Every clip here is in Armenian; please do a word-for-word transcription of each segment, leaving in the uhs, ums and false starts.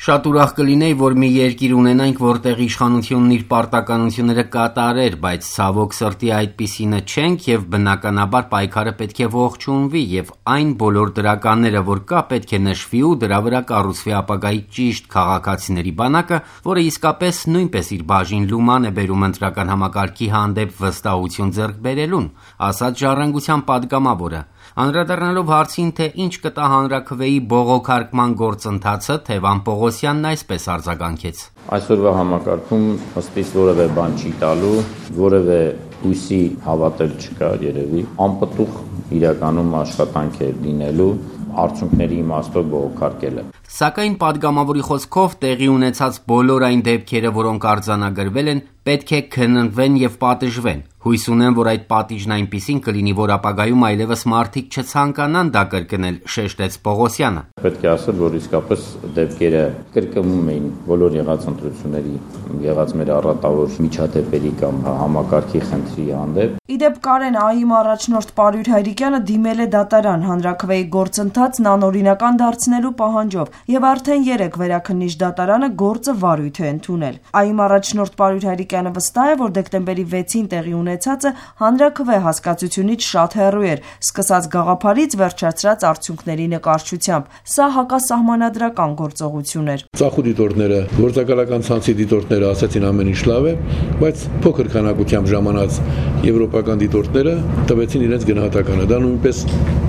Շատ ուրախ կլինեի, որ մի երկիր ունենանք, որտեղ իշխանությունն իր պարտականությունները կատարեր, բայց ցավոք սրտի այդպիսինը չենք եւ բնականաբար պայքարը պետք է ողջունվի եւ այն բոլոր դրականները, որ կա, պետք է նշվի ու դրա վրա կառուցվի ապագայի ճիշտ քաղաքացիների բանակը, որը իսկապես նույնպես իր բաժին լուման է բերում ընտրական համակարգի հանդեպ վստահություն ձեռք բերելուն, ասաց Ժառանգության падգամավորը։ Անդրադառնալով հարցին, թե ինչ կտա հանրաքվեի բողոքարկման գործընթացը, Թևան Պողոսյանն այսպես արձագանքեց. Այսօրվա համակարգում ըստիս որևէ բան չի տալու, որևէ հույսի հավատել չկա երևի, անպտուղ իրականում աշխատանք է լինելու արդյունքների իմաստով բողոքարկելը։ Սակայն падգամավորի խոսքով տեղի ունեցած բոլոր այն դեպքերը, որոնք արձանագրվել են, պետք է քննվեն եւ պատժվեն։ Հույս ունեմ, որ այդ պատիժն այնպիսին կլինի, որ ապագայում այլևս մարդիկ չցանկանան դա կրկնել, շեշտեց Պողոսյանը։ Պետք է ասել, որ իսկապես դեպքերը կրկնվում էին բոլոր եղած ընտրությունների, եղած մեր առատավոր միջադեպերի կամ համակարգի խնդրի հանդեպ։ Իդեպ Կարեն ԱԻ-ի առաջնորդ Պարույր Հայրիկյանը դիմել է դատարան հանրաքվեի գործընթացն անօրինական դարձնելու պահանջով եւ արդեն երեք վերաքննիչ դատարանը գործը վարույթ է ընդունել։ ԱԻ-ի առաջնորդ Պարույր Հայրիկյանը վստահ է, որ դեկտեմբերի վեցին տեղի ունեցածը հանրաքվե հասկացությունից շատ հեռու էր, սկսած գաղափարից վերջացրած արդյունքների նկարչությամբ։ Սա հակասահմանադրական գործողություն էր։ Ծախու դիտորդները, գործակալական ցանցի դիտորդները ասացին ամեն ինչ լավ է, բայց փոքր քանակությամբ ժամանած եվրոպական դիտորդները տվեցին իրենց գնահատականը։ Դա նույնպես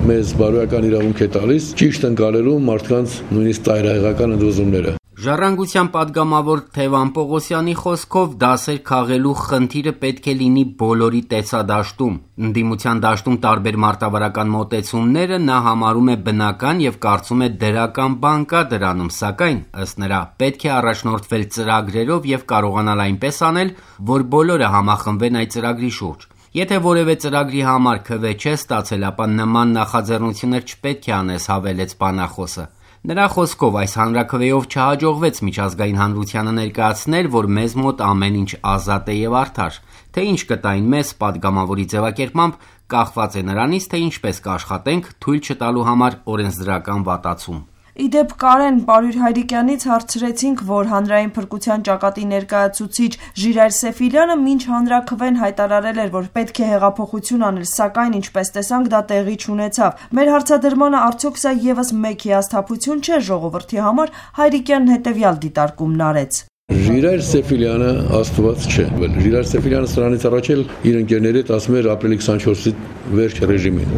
մեզ բարոյական իրավունք է տալիս ճիշտ ընկալելու մարդկանց նույնիսկ ծայրահեղական ընդվզումները։ Ժառանգության падգամավոր Թևան Պողոսյանի խոսքով դասեր քաղելու խնդիրը պետք է լինի բոլորի տեսադաշտում։ Ընդդիմության դաշտում տարբեր մարտավարական մոտեցումները նա համարում է բնական եւ կարծում է դրական բան կա դրանում, սակայն ըստ նրա պետք է առաջնորդվել ծրագրերով եւ կարողանալ այնպես անել, որ բոլորը համախմբվեն այդ ծրագրի շուրջ։ Եթե որևէ ծրագրի համար քվե չես ստացել, ապա նման նախաձեռնություններ չպետք է անես, հավելեց բանախոսը։ Նրա խոսքով այս հանրաքվեով չհաջողվեց միջազգային հանրությանը ներկայացնել, որ մեզ մոտ ամեն ինչ ազատ է եւ արդար։ Թե ինչ կտային մեզ, падգամավորի ձևակերպմամբ կախված է նրանից, թե ինչպես կաշխատենք թույլ չտալու համար օրենսդրական վատացում։ Իդեպ Կարեն Պարույր Հայրիկյանից հարցրեցինք, որ հանրային փրկության ճակատի ներկայացուցիչ Ժիրայր Սեֆիլյանը մինչ հանրաքվեն հայտարարել էր, որ պետք է հեղափոխություն անել, սակայն ինչպես տեսանք դա տեղի չունեցավ։ Մեր հարցադրմանը արդյոք սա եւս մեկ հիասթափություն չէ ժողովրդի համար, Հայրիկյանն հետեւյալ դիտարկումն արեց։ Ժիրայր Սեֆիլյանը աստված չէ։ Ժիրայր Սեֆիլյանը սրանից առաջ էլ իր ընկերների հետ ասում էր ապրիլի քսանչորսի վերջ ռեժիմին։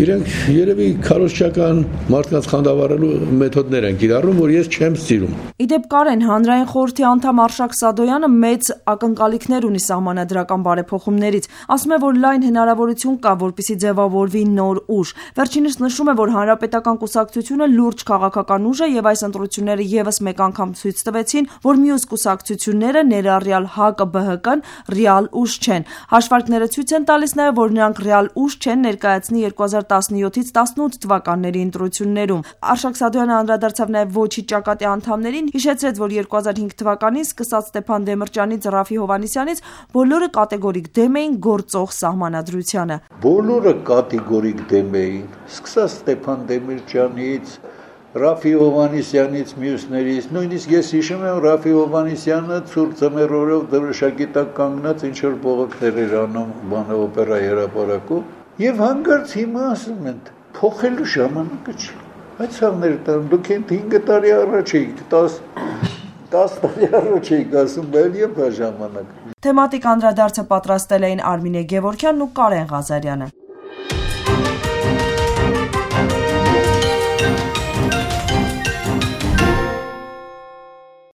Իրենք երևի քարոզչական մարդկանց խանդավառելու մեթոդներ են կիրառում, որ ես չեմ սիրում։ Իդեպ Կարեն հանրային խորհրդի անդամ Արշակ Սադոյանը մեծ ակնկալիքներ ունի սահմանադրական բարեփոխումներից։ Ասում է, որ լայն հնարավորություն կա, որպեսզի ձևավորվի նոր ուժ։ Վերջինս նշում է, որ հանրապետական կուսակցությունը լուրջ քաղաքական ուժ է եւ այս ընտրությունները եւս մեկ անգամ ցույց տվեցին, որ մյուս կուսակցությունները ներառյալ ՀԱԿ-ԲՀԿ-ն ռեալ ուժ չեն։ Հաշվարկները ցույց են տալիս նաև, որ նրանք ռեալ ուժ չեն ներկայացնի երկու հազար տասնյոթից տասնութ թվականների ընտրություններում։ Արշակ Սադոյանը անդրադարձավ նաև ոչի ճակատի անդամներին, հիշեցրեց, որ երկու հազար հինգ թվականին սկսած Ստեփան Դեմիրճյանից Ռաֆի Հովհաննիսյանից բոլորը կատեգորիկ դեմ էին գործող սահմանադրությանը։ Բոլորը կատեգորիկ դեմ էին, սկսած Ստեփան Դեմիրճյանից Ռաֆի Հովհաննիսյանից, մյուսներից, նույնիսկ ես հիշում եմ Ռաֆի Հովհաննիսյանը ցուրտ ձմեռորով դրոշակի տակ կանգնած ինչ որ բողոքներ էր անում բանը օպերայի հրապարակում, եւ հանգարց հիմա ասում են փոխելու ժամանակը չի։ Այդ ցավները տան դուք հենց հինգ տարի առաջ եք, տասը տարի առաջ եք ասում, բայց եւ դա ժամանակ։ Թեմատիկ անդրադարձը պատրաստել էին Արմինե Գևորգյանն ու Կարեն Ղազարյանը։